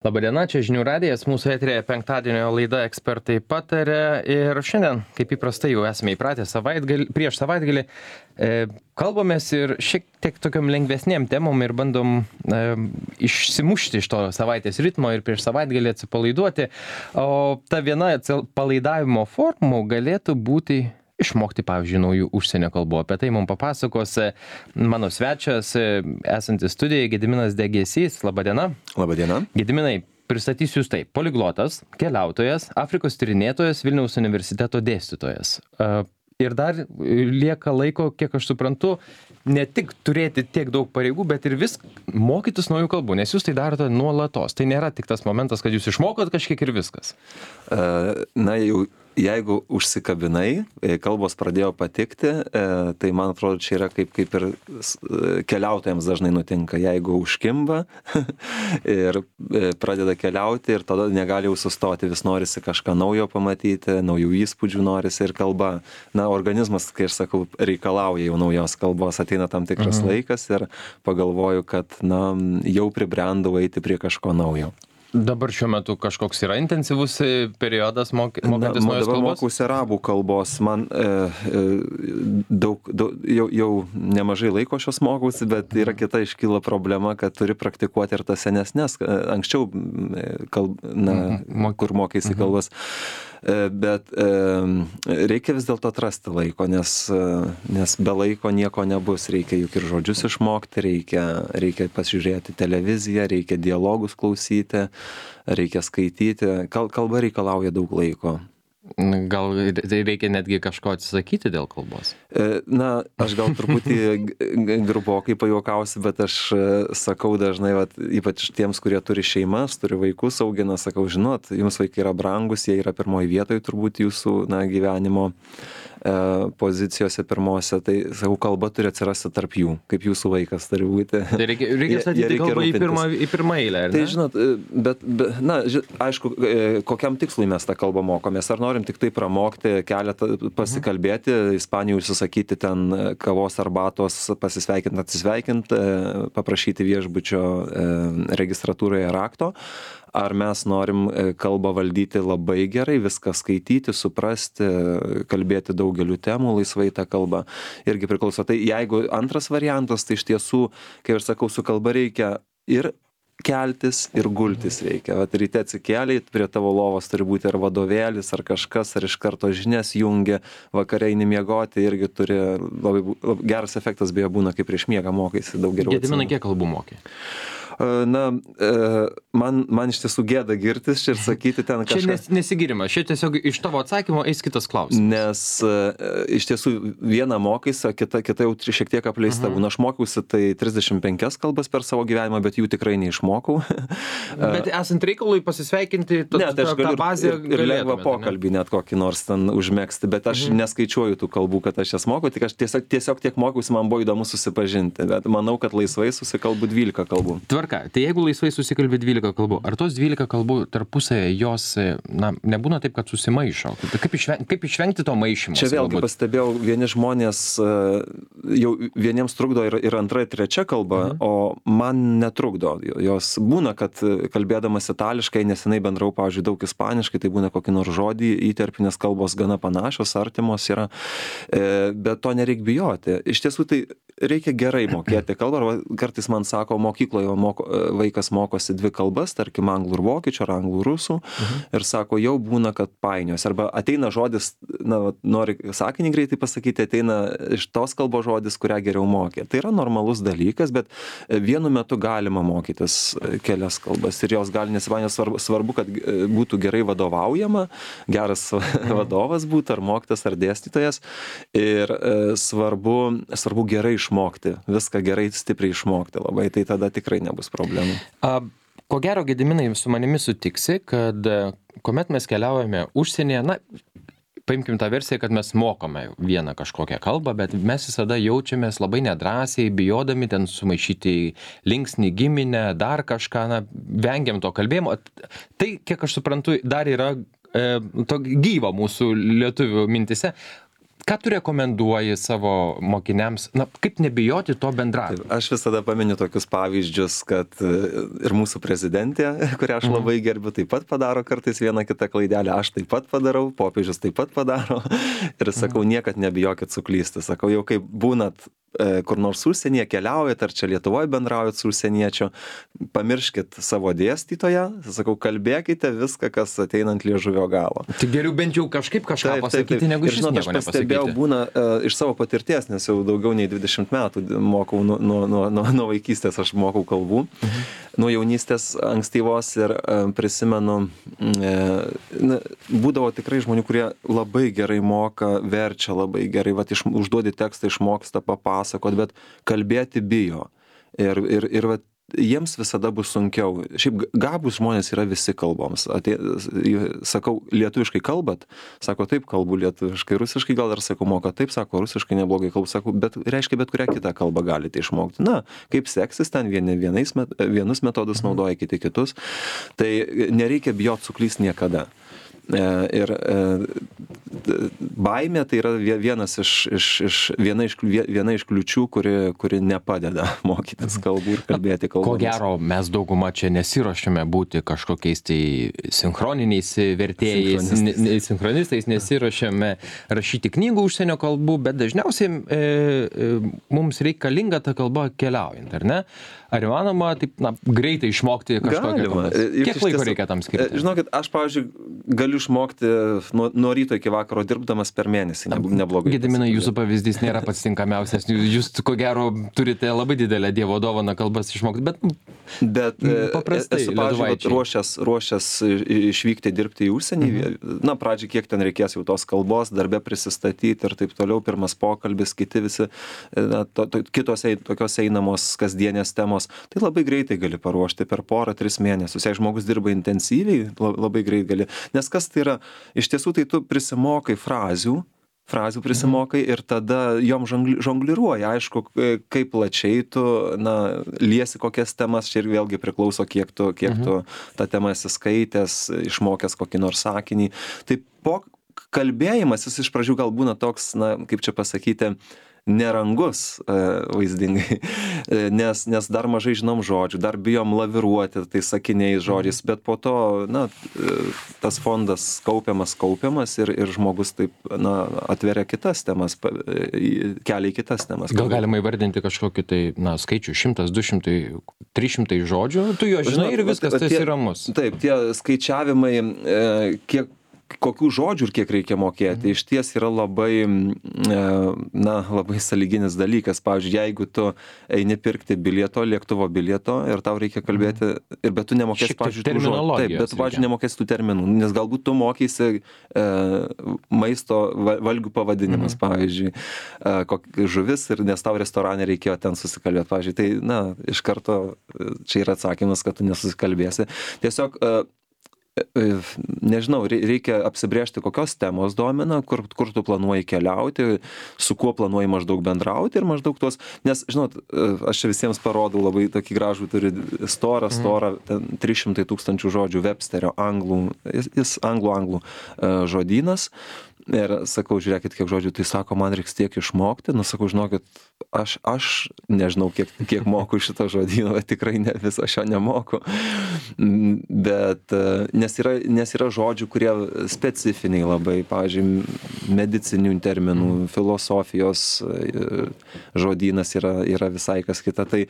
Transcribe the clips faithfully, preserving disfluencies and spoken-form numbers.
Labadiena, čia žinių radijas, mūsų eterėje penktadienio laida Ekspertai pataria ir šiandien, kaip įprastai jau esame įpratę savaitgalį, prieš savaitgalį, e, kalbamės ir šiek tiek tokiam lengvesnėm temom ir bandom e, išsimušti iš to savaitės ritmo ir prieš savaitgalį atsipalaiduoti, o ta viena atsipalaidavimo formų galėtų būti išmokti, pavyzdžiui, naujų užsienio kalbų. Apie tai mums papasakos mano svečias, esantis studijoje, Gediminas Degėsys. Labadiena. Labadiena. Gediminai, pristatysiu jūs taip. Poliglotas, keliautojas, Afrikos tyrinėtojas, Vilniaus universiteto dėstytojas. Ir dar lieka laiko, kiek aš suprantu, ne tik turėti tiek daug pareigų, bet ir vis mokytis naujų kalbų, nes jūs tai darote nuolatos. Tai nėra tik tas momentas, kad jūs išmokot kažkiek ir viskas. Na, jau jeigu užsikabinai, kalbos pradėjo patikti, tai man atrodo, čia yra kaip, kaip ir keliautojams dažnai nutinka. Jeigu užkimba ir pradeda keliauti ir tada negali jau sustoti, vis norisi kažką naujo pamatyti, naujų įspūdžių norisi ir kalba. Na, organizmas, kai aš sakau, reikalauja jau naujos kalbos, ateina tam tikras mhm. laikas ir pagalvoju, kad na, jau pribrendau eiti prie kažko naujo. Dabar šiuo metu kažkoks yra intensyvus periodas mokantis naujos kalbos? Dabar mokausi arabų kalbos. Man e, e, daug, daug, jau, jau nemažai laiko šios mokausi, bet yra kita iškyla problema, kad turi praktikuoti ir tas senesnes. Anksčiau, kalb, na, mhm. kur mokaisi kalbas. Bet e, reikia vis dėlto atrasti laiko, nes, nes be laiko nieko nebus. Reikia juk ir žodžius išmokti, reikia, reikia pasižiūrėti televiziją, reikia dialogus klausyti, reikia skaityti. Kalba reikalauja daug laiko. Gal reikia netgi kažko atsisakyti dėl kalbos? Na, aš gal truputį grubokai pajuokausiu, bet aš sakau dažnai, vat, ypač tiems, kurie turi šeimas, turi vaikus, augina, sakau, žinot, jums vaikai yra brangus, jie yra pirmoji vietoje turbūt jūsų na, gyvenimo e, pozicijose pirmose, tai, sakau, kalba turi atsirasti tarp jų, kaip jūsų vaikas turi būti. Tai reikia, reikia statyti kalbą į pirmą, į pirmą eilę, ar ne? Tai žinot, bet, bet na, ži, aišku, kokiam tikslui mes tą kalbą mokomės, ar norim tik tai pramokti keletą, pasikalbėti, Ispanijoj užsisakyti ten kavos arbatos, pasisveikinti, atsisveikinti, paprašyti viešbučio registratūroje rakto, ar mes norim kalbą valdyti labai gerai, viską skaityti, suprasti, kalbėti daugeliu temų, laisvai tą kalbą irgi priklauso. Tai jeigu antras variantas, tai iš tiesų, kaip aš sakau, su kalba reikia ir keltis ir gultis reikia. Vat ryte atsikėlė, prie tavo lovos turi būti ar vadovėlis, ar kažkas, ar iš karto žinias jungia, vakare eini miegoti, irgi turi labai, labai geras efektas beje būna, kai prieš miegą mokaisi daug geriau. Gediminai, kiek kalbų mokė? Na, man, man iš tiesų gėda girtis čia ir sakyti ten kažką. Čia nes, nesigirimas, čia tiesiog iš tavo atsakymo eis kitas klausimas. Nes iš tiesų vieną mokaisi, o kita, kita jau šiek tiek apleista. Uh-huh. Aš mokiausi tai trisdešimt penkias kalbas per savo gyvenimą, bet jų tikrai neišmokau. Bet esant reikalui pasisveikinti, to, ne, tai aš galiu tą bazę ir, ir lengvą pokalbį net kokį nors ten užmegzti, bet aš uh-huh. neskaičiuoju tų kalbų, kad aš jas mokau, tik aš tiesiog, tiesiog tiek mokiausi, man buvo įdomu susipažinti, bet manau, kad laisvai susikalbu dvylika kalbų. Tvarka. Tai jeigu laisvai susikalbė dvylika kalbų, ar tos dvylika kalbų tarpusėje jos, na, nebūna taip, kad susimaišo? Kaip išvengti, kaip išvengti to maišymo? Čia vėlgi pastebėjau, vieni žmonės jau vieniems trukdo ir, ir antra, ir trečia kalba, mhm. o man netrukdo. Jos būna, kad kalbėdamas itališkai, nesenai bendrau, pavyzdžiui, daug ispaniškai, tai būna kokį nors žodį įterpinės kalbos gana panašios, artimos yra, bet to nereik bijoti. Iš tiesų tai reikia gerai mokėti kalbą, arba kartais man sako, mokykloje moko, vaikas mokosi dvi kalbas, tarkim, anglų ir vokiečių, ar anglų rusų, mhm. ir sako, jau būna, kad painios. Arba ateina žodis, na, nori sakinį greitai pasakyti, ateina iš tos kalbos žodis, kurią geriau mokė. Tai yra normalus dalykas, bet vienu metu galima mokytis kelias kalbas ir jos gali nesipainioti. Svarbu, svarbu, kad būtų gerai vadovaujama, geras mhm. vadovas būtų, ar mokytas, ar dėstytojas. Ir svarbu, svarbu gerai išmokti, viską gerai, stipriai išmokti labai, tai tada tikrai nebus problemų. A, ko gero, Gediminai, su manimi sutiksi, kad kuomet mes keliaujame užsienyje, na, paimkim tą versiją, kad mes mokame vieną kažkokią kalbą, bet mes visada jaučiamės labai nedrąsiai, bijodami ten sumaišyti linksnį, giminę, dar kažką, na, vengiam to kalbėjimo. Tai, kiek aš suprantu, dar yra e, to gyvo mūsų lietuvių mintise. ką tu rekomenduoji savo mokiniams, na, kaip nebijoti to bendravimo? Aš visada paminiu tokius pavyzdžius, kad ir mūsų prezidentė, kurią aš labai gerbiu, taip pat padaro kartais vieną kitą klaidelę, aš taip pat padarau, popiežius taip pat padaro ir sakau, niekad nebijokit suklysti. Sakau, jau kaip būnat kur nors užsienyje keliaujat, ar čia Lietuvoje bendraujat su užsieniečiu, pamirškit savo dėstytoją, sakau, kalbėkite viską, kas ateina ant liežuvio galo. Tai geriau bent jau kažkaip kažką taip, pasakyti, taip, taip. negu iš nieko nepasakyti. Aš pastebėjau, būna uh, iš savo patirties, nes jau daugiau nei dvidešimt metų mokau, nuo, nuo, nuo, nuo vaikystės aš mokau kalbų, mhm. nuo jaunystės ankstyvos ir uh, prisimenu, uh, na, būdavo tikrai žmonių, kurie labai gerai moka, verčia labai gerai, vat, iš, užduodi tekstą, išmoksta papasakoti, pasakot, bet kalbėti bijo. Ir, ir, ir vat, jiems visada bus sunkiau. Šiaip gabūs žmonės yra visi kalboms. Atė, sakau, lietuviškai kalbat? Sako, taip, kalbu lietuviškai. Rusiškai gal dar sakau, moka, taip, sako, rusiškai neblogai kalbu. Sako, bet reiškia, bet kurią kitą kalbą galite išmokti. Na, kaip seksis ten, vieni vienais, vienus metodus naudoja, kiti kitus. Tai nereikia bijot suklysti niekada. Ir baimė tai yra vienas iš, iš, iš, viena, iš, viena iš kliučių, kuri, kuri nepadeda mokytis kalbų ir kalbėti kalbomis. Ko gero, mes dauguma čia nesiruošiame būti kažkokiais tai sinchroniniais vertėjais, sinchronistais, sinchronistais nesiruošiame rašyti knygų užsienio kalbų, bet dažniausiai e, e, mums reikalinga ta kalba keliaujant, ar ne? Ar įmanoma taip, na, greitai išmokti kažkokią kalbą? Kiek laiko reikia tam skirti? Žinokit, aš, pavyzdžiui, galiu išmokti nuo, nuo ryto iki vakaro dirbdamas per mėnesį, neblogai. Gediminai, jūsų pavyzdys nėra pats tinkamiausias. Jūs, ko gero, turite labai didelę dievo dovaną kalbas išmokti, bet, bet paprastai, esu, pavyzdžiui, ruošęs, ruošęs išvykti dirbti į užsienį. Mhm. Na, pradžiai, kiek ten reikės jau tos kalbos, darbe prisistatyti ir taip toliau, pirmas pokalbis, kiti visi, na, to, to, kitos tokios einamos kasdienės temos. Tai labai greitai gali paruošti per porą, tris mėnesius. Jei žmogus dirba intensyviai, labai greit gali. Nes kas tai yra? Iš tiesų, tai tu prisimokai frazių, frazių prisimokai ir tada jom žongliruoji. Aišku, kaip plačiai tu, na, liesi kokias temas, čia ir vėlgi priklauso, kiek tu, kiek mhm. tu tą temą esi skaitęs, išmokęs kokį nors sakinį. Tai po kalbėjimas, jis iš pradžių gal būna toks, na, kaip čia pasakyti, nerangus vaizdingai, nes, nes dar mažai žinom žodžių, dar bijom laviruoti tais sakiniais žodžiais, bet po to, na, tas fondas kaupiamas, kaupiamas ir, ir žmogus taip, na, atveria kitas temas, kelia į kitas temas. Gal galima įvardinti kažkokį tai, na, skaičių, šimtas, du šimtai, trys šimtai žodžių, tu jo žinai ir viskas, tai yra ramus. Taip, tie skaičiavimai, kiek kokių žodžių ir kiek reikia mokėti, iš ties yra labai, na, labai sąlyginis dalykas. Pavyzdžiui, jeigu tu eini pirkti bilieto, lėktuvo bilieto ir tau reikia kalbėti, ir bet tu nemokėsi, pavyzdžiui, tų žodžių. Taip, bet tu, pavyzdžiui, nemokėsi tų terminų, nes galbūt tu mokysi e, maisto valgių pavadinimas, pavyzdžiui, e, kok, žuvis, ir nes tau restorane reikėjo ten susikalbėti, pavyzdžiui. Tai, na, iš karto čia yra atsakymas, kad tu nesusikalbėsi. Tiesiog e, nežinau, reikia apsibrėžti, kokios temos domina, kur, kur tu planuoji keliauti, su kuo planuoji maždaug bendrauti ir maždaug tuos, nes, žinot, aš čia visiems parodau labai tokį gražų, turi storą, storą, ten trys šimtai tūkstančių žodžių Websterio anglų, jis, jis anglų, anglų žodynas. Ir sakau, žiūrėkit, kiek žodžių, tai sako, man reiks tiek išmokti, nu sakau, žinokit, aš, aš nežinau, kiek, kiek moku šito žodyno, bet tikrai ne, viso šio nemoku. Bet, nes yra, nes yra žodžių, kurie specifiniai labai, pavyzdžiui, medicinių terminų, filosofijos žodynas yra, yra visai kas kita. Tai,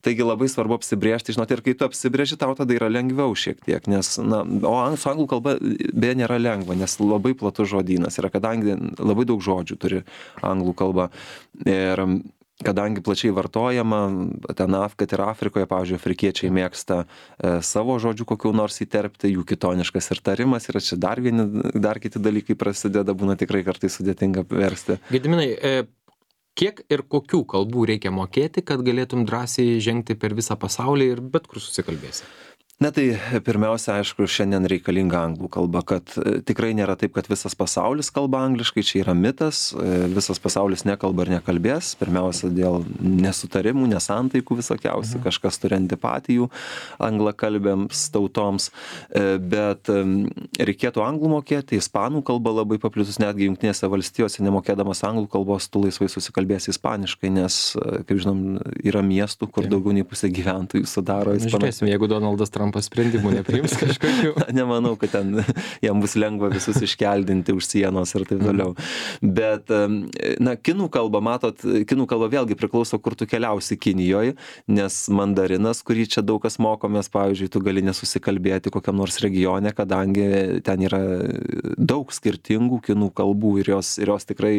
taigi labai svarbu apsibrėžti, žinot, ir kai tu apsibrėži, tau tada yra lengviau šiek tiek, nes, na, o su anglų kalba beje nėra lengva, nes labai platus žodynas yra, kadangi labai daug žodžių turi anglų kalba. Ir kadangi plačiai vartojama, ten kad ir Afrikoje, pavyzdžiui, afrikiečiai mėgsta e, savo žodžių kokių nors įterpti, jų kitoniškas ir tarimas, ir čia dar vieni, dar kiti dalykai prasideda, būna tikrai kartais sudėtinga versti. Gediminai, e, kiek ir kokių kalbų reikia mokėti, kad galėtum drąsiai žengti per visą pasaulį ir bet kur susikalbėsi? Na tai pirmiausia, aišku, šiandien reikalinga anglų kalba, kad tikrai nėra taip, kad visas pasaulis kalba angliškai, čia yra mitas, visas pasaulis nekalba ir nekalbės, pirmiausia dėl nesutarimų, nesantaikų visokiausių, mhm. kažkas turi antipatijų anglakalbėms tautoms, bet reikėtų anglų mokėti, ispanų kalba labai paplitus, netgi Jungtinėse valstijose nemokėdamas anglų kalbos, tu laisvai susikalbėsi ispaniškai, nes, kaip žinom, yra miestų, kur daugiau nei pusė gyventojų sudaro ispaniškai. Žiūrėsim, jeigu Donaldas Trumpas sprendimų nepriims kažkokių. Nemanau, kad ten jam bus lengva visus iškeldinti už sienos ir taip toliau. Bet, na, kinų kalba, matot, kinų kalba vėlgi priklauso, kur tu keliausi Kinijoje, nes mandarinas, kurį čia daug kas mokomės, pavyzdžiui, tu gali nesusikalbėti kokiam nors regione, kadangi ten yra daug skirtingų kinų kalbų ir jos, ir jos tikrai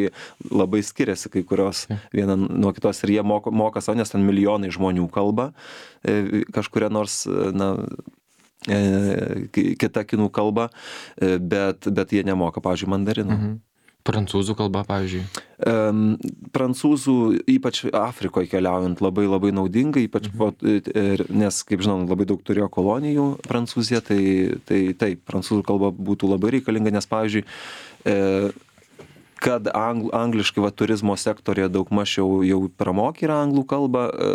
labai skiriasi, kai kurios viena nuo kitos ir jie moka, moka savo, nes ten milijonai žmonių kalba kažkuria nors, na, kita kinų kalba, bet, bet jie nemoka, pavyzdžiui, mandarinų. Mhm. Prancūzų kalba, pavyzdžiui. Um, prancūzų, ypač Afrikoje keliaujant, labai labai naudinga, ypač, mhm. po, nes, kaip žinom, labai daug turėjo kolonijų Prancūzija, tai, tai taip, prancūzų kalba būtų labai reikalinga, nes, pavyzdžiui, e, kad angl, angliškai va, turizmo sektorija daug maž jau, jau pramokė yra anglų kalbą e,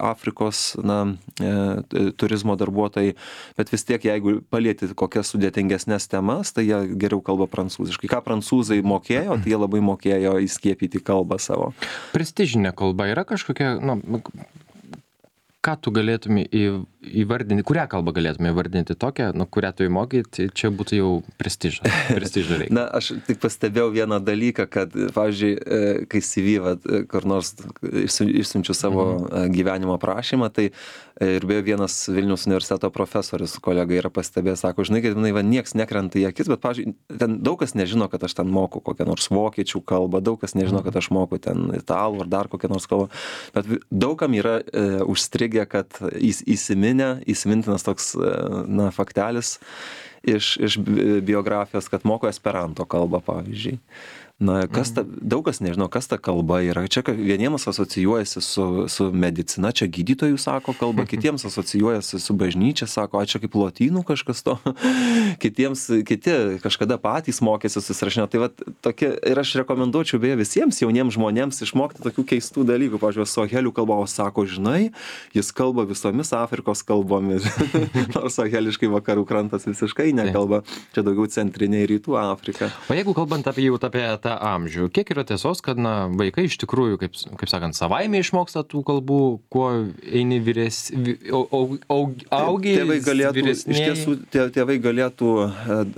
Afrikos na, e, turizmo darbuotojai, bet vis tiek, jeigu palieti kokias sudėtingesnės temas, tai jie geriau kalba prancūziškai. Ką prancūzai mokėjo, tai jie labai mokėjo įskiepyti kalbą savo. Prestižinė kalba yra kažkokia, nu, ką tu galėtume įvardinti, kurią kalbą galėtume įvardinti tokią, nu, kurią tu įmokyti, čia būtų jau prestižas, prestižą reikia. Na, aš tik pastebėjau vieną dalyką, kad, pavyzdžiui, kai C V, vat, kur nors išsiunčiu savo mhm. gyvenimo prašymą, tai ir beje vienas Vilniaus universiteto profesorius, kolega yra pastebėjęs, sako, žinai, kad jinai, va, nieks nekrenta į akis, bet, pavyzdžiui, ten daug kas nežino, kad aš ten moku kokią nors vokiečių kalbą, daug kas nežino, kad aš moku ten italų ar dar kokią nors kalbą, bet daugam yra e, užstrigę, kad įs, įsiminę, įsimintinas toks, na, faktelis iš, iš biografijos, kad moko esperanto kalbą, pavyzdžiui. Na, kas ta, daug kas nežino, kas ta kalba yra. Čia vieniems asocijuojasi su, su medicina, čia gydytojų sako kalba, kitiems asocijuojasi su bažnyčia, sako, a čia kaip lotynų kažkas to, kitiems, kiti kažkada patys mokėsi susirašinio. Tai va, tokie, ir aš rekomenduočiau beje visiems jauniems žmonėms išmokti tokių keistų dalykų. Pavyzdžiui, sohelių kalba, o sako, žinai, jis kalba visomis Afrikos kalbomis, nors soheliškai vakarų krantas visiškai nekalba, čia daugiau centrinė ir rytų Afrika. O jeigu kalbant apie jau apie tą amžių, kiek yra tiesos, kad, na, vaikai iš tikrųjų, kaip, kaip sakant, savaime išmoksta tų kalbų, kuo eini vyres, au, au, au, augiai, tėvai galėtų, vyresniai? Iš tiesų, tėvai galėtų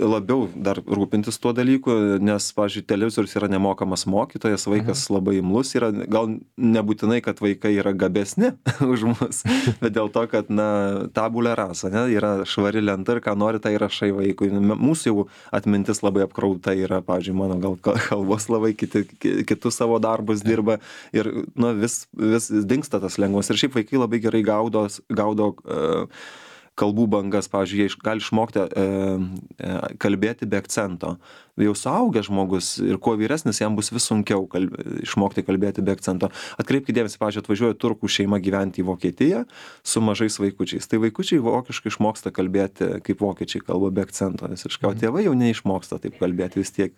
labiau dar rūpintis tuo dalyku, nes, pavyzdžiui, televizorius yra nemokamas mokytojas, vaikas mhm. labai imlus yra, gal nebūtinai, kad vaikai yra gabesni už mus, bet dėl to, kad, na, tabulė rasa, ne, yra švari lenta ir ką nori, tai rašai vaikui. Mūsų jau atmintis labai apkrauta yra, pavyzdžiui, mano gal kalbos labai, kiti, kitus savo darbus dirba ir, nu, vis, vis dingsta tas lengvas. Ir šiaip vaikai labai gerai gaudo, gaudo uh, kalbų bangas, pavyzdžiui, jie gali išmokti uh, kalbėti be akcento. Jau suaugęs žmogus ir kuo vyresnis, jam bus vis sunkiau kalb... išmokti kalbėti be akcento. Atkreipkite dėmesį, pavyzdžiui, atvažiuoja turkų šeima gyventi į Vokietiją su mažais vaikučiais. Tai vaikučiai vokiškai išmoksta kalbėti, kaip vokiečiai kalba be akcento visiškai, o tėvai jau neišmoksta taip kalbėti, vis tiek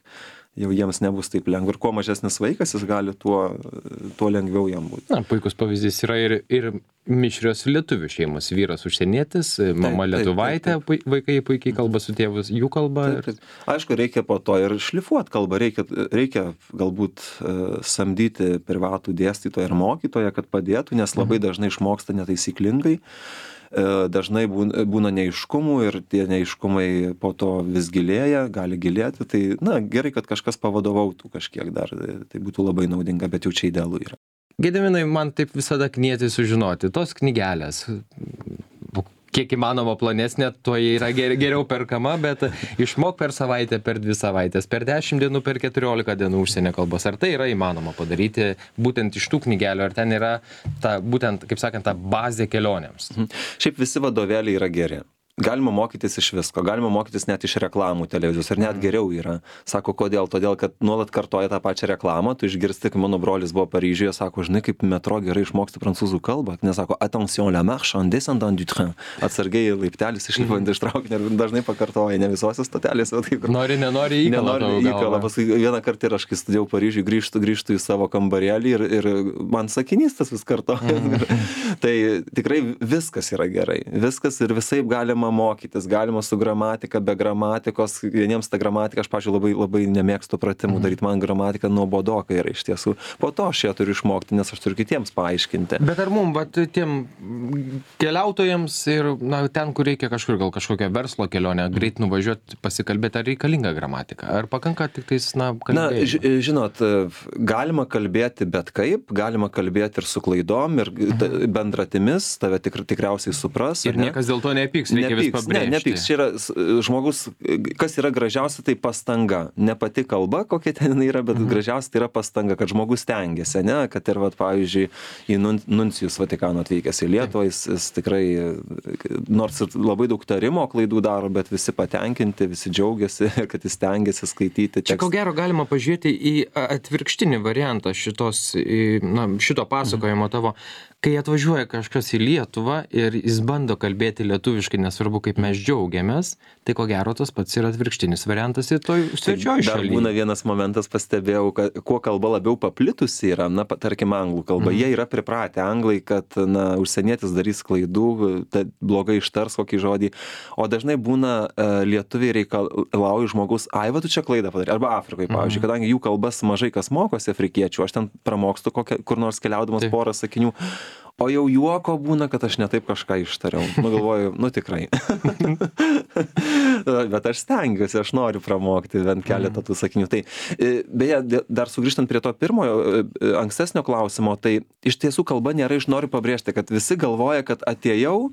jau jiems nebus taip lengva. Ir kuo mažesnis vaikas, jis gali, tuo, tuo lengviau jam būti. Na, puikus pavyzdys yra ir, ir mišrios lietuvių šeimos. Vyras užsienietis, mama taip, lietuvaitė, taip, taip. Vaikai puikiai kalba su tėvus, jų kalba. Taip, taip. Aišku, reikia po to ir šlifuoti kalbą, reikia, reikia galbūt uh, samdyti privatų dėstytoją ir mokytoją, kad padėtų, nes labai dažnai išmoksta netaisyklingai. Dažnai būna neiškumų ir tie neiškumai po to vis gilėja, gali gilėti. Tai, na, gerai, kad kažkas pavadovautų kažkiek dar, tai būtų labai naudinga, bet jau čia idealu yra. Gediminai, man taip visada knieti sužinoti, tos knygelės, kiek įmanoma plonesnė, tuo yra geriau perkama, bet išmok per savaitę, per dvi savaitės, per dešimt dienų, per keturiolika dienų užsienio kalbos. Ar tai yra įmanoma padaryti būtent iš tų knygelių, ar ten yra ta, būtent, kaip sakant, ta bazė kelionėms? Šiaip visi vadovėliai yra geri. galima mokytis iš visko, galima mokytis net iš reklamų televizijos, ir net geriau yra. Sako, kodėl? Todėl, kad nuolat kartoja tą pačią reklamą, tu išgirsti, kai mano brolis buvo Paryžiuje, sako, žinai, kaip metro gerai išmoksti prancūzų kalbą, nesako, attention la marche en descendant du train, atsargiai laiptelis išlipant iš traukinio, ir dažnai pakartoja, ne visose stotelėse, taip. Nori, nenori įkalą. Nenori įkalą, paskui vieną kartą ir aš, kai studijau Paryžiuje, grįžtu, grįžtu į savo kambarėlį ir, ir man sakinys tas vis kartoja. Mm. Tai tikrai viskas yra gerai, viskas ir visaip galima mokytis, galima su gramatika, be gramatikos, vieniems ta gramatika, aš, pavyzdžiui, labai, labai nemėgstu pratimų daryti, man gramatika nuobodoka yra iš tiesų. Po to aš ją turiu išmokti, nes aš turiu kitiems paaiškinti. Bet ar mums, bet tiem keliautojams ir na, ten, kur reikia kažkur, gal kažkokią verslo kelionę, greit nuvažiuoti, pasikalbėti, ar reikalinga gramatika? Ar pakanka tik tais, na, kalbėti? Na, žinot, galima kalbėti bet kaip, galima kalbėti ir su klaidom, ir bendratimis, tave tik, tikriausiai supras. Ir niekas dėl to nepyks. Reikia vis pabrėžti. Ne, nepyks. Čia yra žmogus, kas yra gražiausia, tai pastanga. Ne pati kalba, kokia ten yra, bet mhm. gražiausia tai yra pastanga, kad žmogus stengiasi, ne? Kad ir, vat, pavyzdžiui, į Nuncijus Vatikano atvykęs į Lietuvą, jis, jis tikrai, nors ir labai daug tarimo klaidų daro, bet visi patenkinti, visi džiaugiasi, kad jis stengiasi skaityti. Čia ko gero galima pažiūrėti į atvirkštinį variantą šitos, na, šito pasakojimo tavo. Kai atvažiuoja kažkas į Lietuvą ir jis bando kalbėti lietuviškai, nesvarbu, kaip mes džiaugiamės, tai ko gero tas pats yra atvirkštinis variantas ir toj svečioj šaly. Dar būna vienas momentas, pastebėjau, kad kuo kalba labiau paplitusi yra, na, tarkim, anglų kalba. Mm. Jie yra pripratę anglai, kad, na, užsienietis darys klaidų, blogai ištars kokį žodį, o dažnai būna uh, lietuviai reikalauja žmogus, ai, va, tu čia klaidą padarė, arba Afrikoje, pavyzdžiui, mm. kadangi jų kalbas mažai kas mokosi afrikiečių, aš ten pramokstu kokią, kur nors keliaudamas Taip. porą sakinių. O jau juoko būna, kad aš ne taip kažką ištariau. Nu, galvoju, nu tikrai. Bet aš stengiuosi, aš noriu pramokti bent keletą tų sakinių. Tai, beje, dar sugrįžtant prie to pirmojo, ankstesnio klausimo, tai iš tiesų kalba nėra, iš noriu pabrėžti, kad visi galvoja, kad atėjau,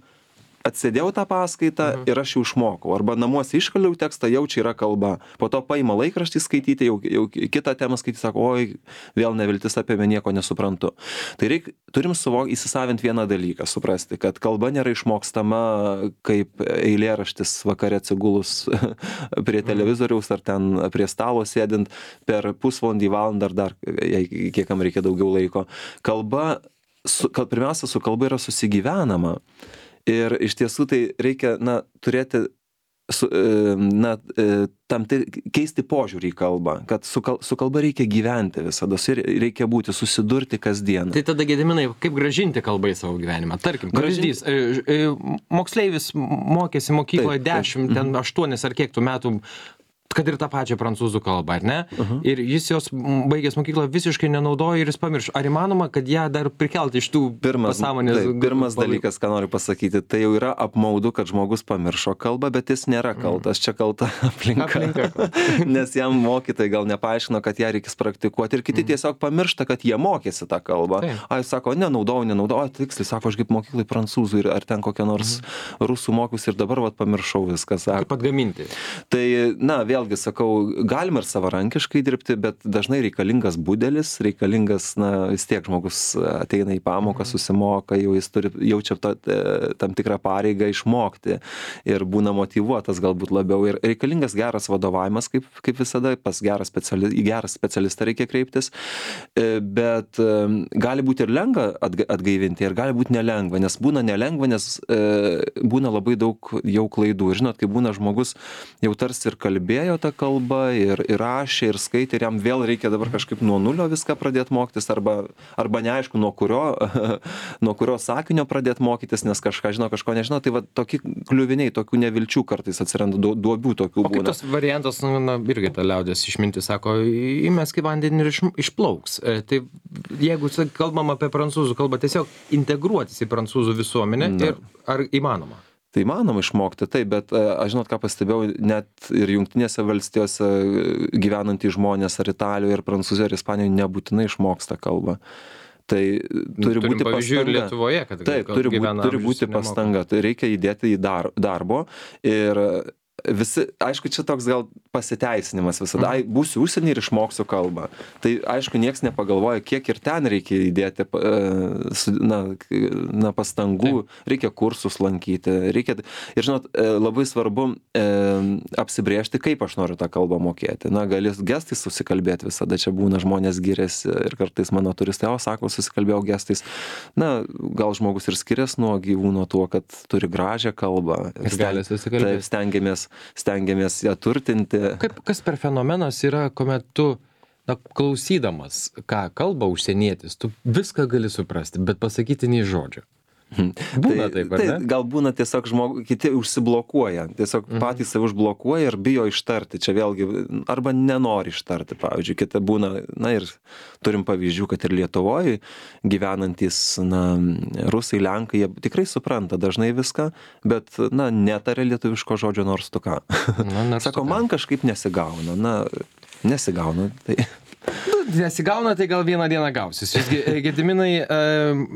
atsėdėjau tą paskaitą mhm. ir aš jau išmokau. Arba namuose iškaliau tekstą, jau čia yra kalba. Po to paima laikraštį skaityti, jau, jau kitą temą skaityti, sako, oi, vėl neviltis apie mane, nieko nesuprantu. Tai reik, turim suvok, įsisavinti vieną dalyką, suprasti, kad kalba nėra išmokstama kaip eilėraštis vakare atsigulus prie televizoriaus ar ten prie stalo sėdint per pusvalandį, valandą ar dar, jei kiekam reikia daugiau laiko. Kalba, su, kal, pirmiausia, su kalba yra susigyvenama. Ir iš tiesų tai reikia, na, turėti, su, na, tam tai keisti požiūrį į kalbą, kad su, kal, su kalba reikia gyventi visada, reikia būti, susidurti kasdien. Tai tada, Gediminai, kaip gražinti kalbą į savo gyvenimą? Tarkim, pavyzdys, moksleivis mokėsi mokykloje dešimt, ten aštuonis ar kiek tų metų, kad ir tą pačią prancūzų kalbą, ar ne? Uh-huh. Ir jis jos baigęs mokyklą visiškai nenaudoja ir jis pamiršo. Ar įmanoma, kad ją dar prikelti iš tų pirmas, pasąmonės? Tai, pirmas dalykas, ką noriu pasakyti, tai jau yra apmaudu, kad žmogus pamiršo kalbą, bet jis nėra kaltas. Mm. Čia kalta aplinka. aplinka. Nes jam mokytojai gal nepaaiškino, kad ją reikės praktikuoti. Ir kiti mm. tiesiog pamiršta, kad jie mokėsi tą kalbą. Tai. A, jis sako, nenaudojau, nenaudojau. Tiksliai, sako, aš kaip mokyklai prancūzų ir ar ten kokią nors mm. rusų mokius ir dabar vat pamiršau viską. Sako. Kaip atgaminti? Tai, na, vėlgi sakau, galima ir savarankiškai dirbti, bet dažnai reikalingas budelis, reikalingas, na, vis tiek žmogus ateina į pamoką, susimoka, jau jis turi, jaučia to, tam tikrą pareigą išmokti ir būna motyvuotas galbūt labiau. Ir reikalingas geras vadovavimas, kaip, kaip visada, pas gerą speciali, į gerą specialistą reikia kreiptis, bet gali būti ir lengva atgaivinti, ir gali būti nelengva, nes būna nelengva, nes būna labai daug jau klaidų. Ir žinot, kai būna žmogus jau tarsi ir kalbėjo tą kalbą, ir, ir rašė, ir skaitė, ir jam vėl reikia dabar kažkaip nuo nulio viską pradėti mokytis, arba, arba neaišku, nuo kurio, nuo kurio sakinio pradėti mokytis, nes kažką žino, kažko nežino. Tai va tokie kliuviniai, tokių nevilčių kartais atsiranda, duobių tokių būna. O kaip tas variantas, na, irgi ta liaudės išmintis sako, įmesk į vandenį ir iš, išplauks. Tai jeigu kalbam apie prancūzų kalbą, tiesiog integruotis į prancūzų visuomenę, ir, ar įmanoma? Tai įmanoma išmokti, taip, bet aš žinot, ką pastebėjau, net ir Jungtinėse valstijose gyvenantys žmonės, ar Italijoje, ir Prancūzijoje, ir Ispanijoje nebūtinai išmoksta kalbą. Tai turi Turim būti pastanga. Lietuvoje, kad taip, turi būti, turi būti pastanga. Tai reikia įdėti į dar, darbo ir visi, aišku, čia toks gal pasiteisinimas visada, ai, būsiu užsienį ir išmoksiu kalbą. Tai aišku, nieks nepagalvoja, kiek ir ten reikia įdėti na, na, pastangų, Taip. reikia kursus lankyti, reikia, ir žinot, labai svarbu e, apsibrėžti, kaip aš noriu tą kalbą mokėti. Na, gali gestais susikalbėti visada, čia būna žmonės giriasi ir kartais mano turistai, o sako, susikalbėjau gestais. Na, gal žmogus ir skiriasi nuo gyvūno tuo, kad turi gražią kalbą. Ir gali susikalbėti. Taip, stengiamės stengiamės ją turtinti. Kaip, kas per fenomenas yra, kuomet tu, na, klausydamas, ką kalba užsienietis, tu viską gali suprasti, bet pasakyti nei žodžio. Būna tai, taip, ar ne? Tai gal būna tiesiog žmogus, kiti užsiblokuoja, tiesiog mhm. patys save užblokuoja ir bijo ištarti. Čia vėlgi, arba nenori ištarti, pavyzdžiui, kita būna, na ir turim pavyzdžių, kad ir Lietuvoje gyvenantys, na, rusai, lenkai, jie tikrai supranta dažnai viską, bet, na, netarė lietuviško žodžio nors tu ką. Na, nors Sako, tu ką. Man kažkaip nesigauna, na, nesigauna, tai... Nesigauna, tai gal vieną dieną gausis. Visgi, Gediminai,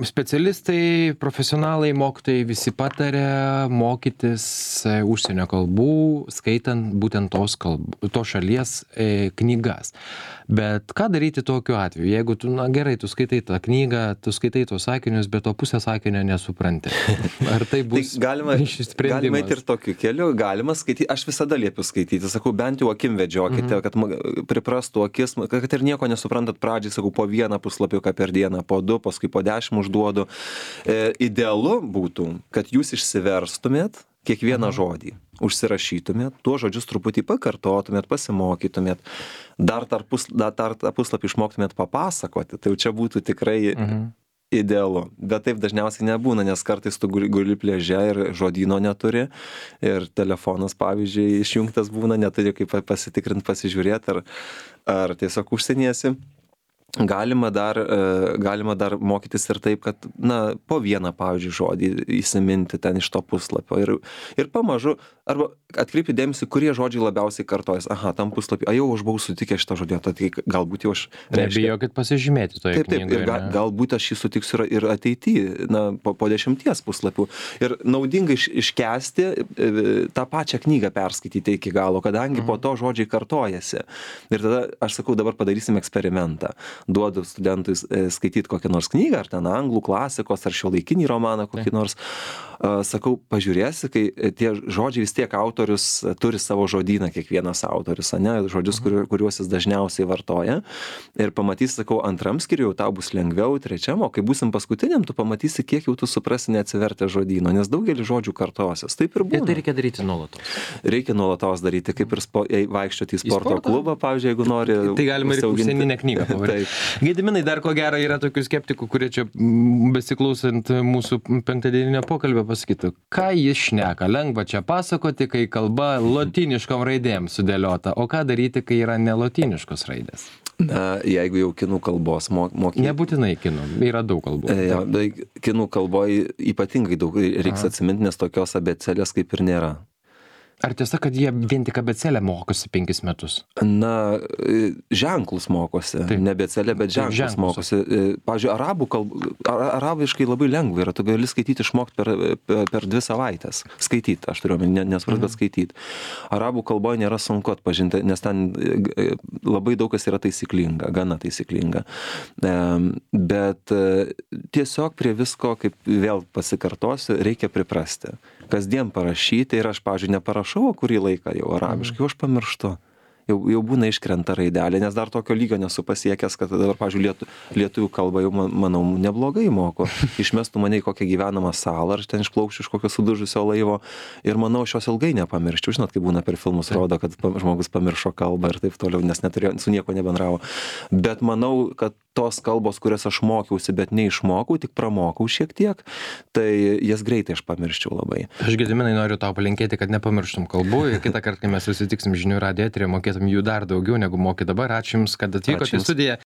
specialistai, profesionalai, mokytojai visi patarė mokytis užsienio kalbų, skaitant būtent tos, kalbų, tos šalies knygas. Bet ką daryti tokiu atveju? Jeigu tu, na gerai, tu skaitai tą knygą, tu skaitai tos sakinius, bet to pusę sakinio nesupranti. Ar tai bus tai galima, galima ir tokiu keliu, galima skaityti. Aš visada liepiu skaityti, sakau, bent jau akim vedžiokite, mhm. kad priprastų akis, kad ir nieko nesuprantat pradžiai, sakau, po vieną puslapiuką per dieną, po du, paskui po dešimt užduodu. E, idealu būtų, kad jūs išsiverstumėt kiekvieną žodį, užsirašytumėt, tuos žodžius truputį pakartotumėt, pasimokytumėt, dar tą pus, puslapį išmoktumėt papasakoti, tai jau čia būtų tikrai mhm. idealu. Bet taip dažniausiai nebūna, nes kartais tu guli, guli pliaže ir žodyno neturi ir telefonas, pavyzdžiui, išjungtas būna, neturi kaip pasitikrinti, pasižiūrėti, ar, ar tiesiog užsieniesi. Galima dar, galima dar mokytis ir taip, kad, na, po vieną, pavyzdžiui, žodį įsiminti ten iš to puslapio ir, ir pamažu, arba atkreipti dėmesį, kurie žodžiai labiausiai kartojas. Aha, tam puslapį, a jau aš buvau sutikęs šitą žodį, tai galbūt jau aš... Nebijokit pasižymėti toje taip, taip, knygoje. Ir ga, galbūt aš jį sutiksiu ir ateityje, na, po, po dešimties puslapių. Ir naudinga iš, iškesti tą pačią knygą perskaityti iki galo, kadangi mhm. po to žodžiai kartojasi. Ir tada aš sakau, dabar padarysim eksperimentą. Duodu studentui skaityti kokią nors knygą, ar ten anglų klasikos, ar šiuolaikinį romaną kokį nors. Sakau, pažiūrėsi, kai tie žodžiai vis tiek autorius turi savo žodyną, kiekvienas autorius, ne, žodžius, kuriuos jis dažniausiai vartoja. Ir pamatysi, sakau, antram skyriui jau tau bus lengviau, trečiam, o kai būsim paskutiniam, tu pamatysi, kiek jau tu suprasi neatsivertę žodyno, nes daugelį žodžių kartosios. Taip ir būna. Ir tai reikia daryti nuolatos. Reikia nuolatos daryti, kaip ir spo, vaikščioti į sporto, į sporto klubą, pavyzdžiui, jeigu nori. Tai galima ir užsieninę knygą pavaryti. Gediminai, dar ko gero yra tokių skeptikų, kurie čia besiklausant mūsų penktadieninio pokalbio pasakytų, ką jis šneka, lengva čia pasakoti, kai kalba lotyniškom raidėm sudėliota, o ką daryti, kai yra nelotyniškos raidės? Na, jeigu jau kinų kalbos mokyti. Nebūtinai kinų, yra daug kalbų. Ja, tai kinų kalboje ypatingai daug reiks atsiminti, nes tokios abėcėlės kaip ir nėra. Ar tiesa, kad jie vien tik abėcėlę mokosi penkis metus? Na, ženklus mokosi. Taip. Ne abėcėlę, bet ženklus, ženklus mokosi. Pavyzdžiui, arabų kalbų, arabiškai labai lengva yra. Tu gali skaityti išmokti per, per, per dvi savaitės. Skaityti, aš turiu omeny, nesupras, bet skaityti. Arabų kalboje nėra sunku atpažinti, nes ten labai daug kas yra taisyklinga, gana taisyklinga. Bet tiesiog prie visko, kaip vėl pasikartosiu, reikia priprasti. Kasdien parašyti ir aš, pavyzdžiui, neparašau kurį laiką jau arabiškai, jau aš pamirštu. Jau, jau būna iškrenta raidelė, nes dar tokio lygio nesu pasiekęs, kad dabar, pavyzdžiui, lietu, lietuvių kalbą jau, manau, neblogai moku. Išmestų mane į kokią gyvenamą salą, aš ten išplaukčiau iš kokio sudužusio laivo ir manau, šios ilgai nepamirščiau. Žinot, kaip būna per filmus rodo, kad žmogus pamiršo kalbą ir taip toliau, nes neturėjo, su nieko nebendravo. Bet manau, kad tos kalbos, kurias aš mokiausi, bet neišmokau, tik pramokau šiek tiek, tai jas greitai aš pamirščiau labai. Aš, Gediminai, noriu tau palinkėti, kad nepamirštum kalbų ir kitą kartą, kai mes susitiksim žinių radijo eteryje, mokėtum jų dar daugiau negu moki dabar. Ačiū Jums, kad atvykote į studiją.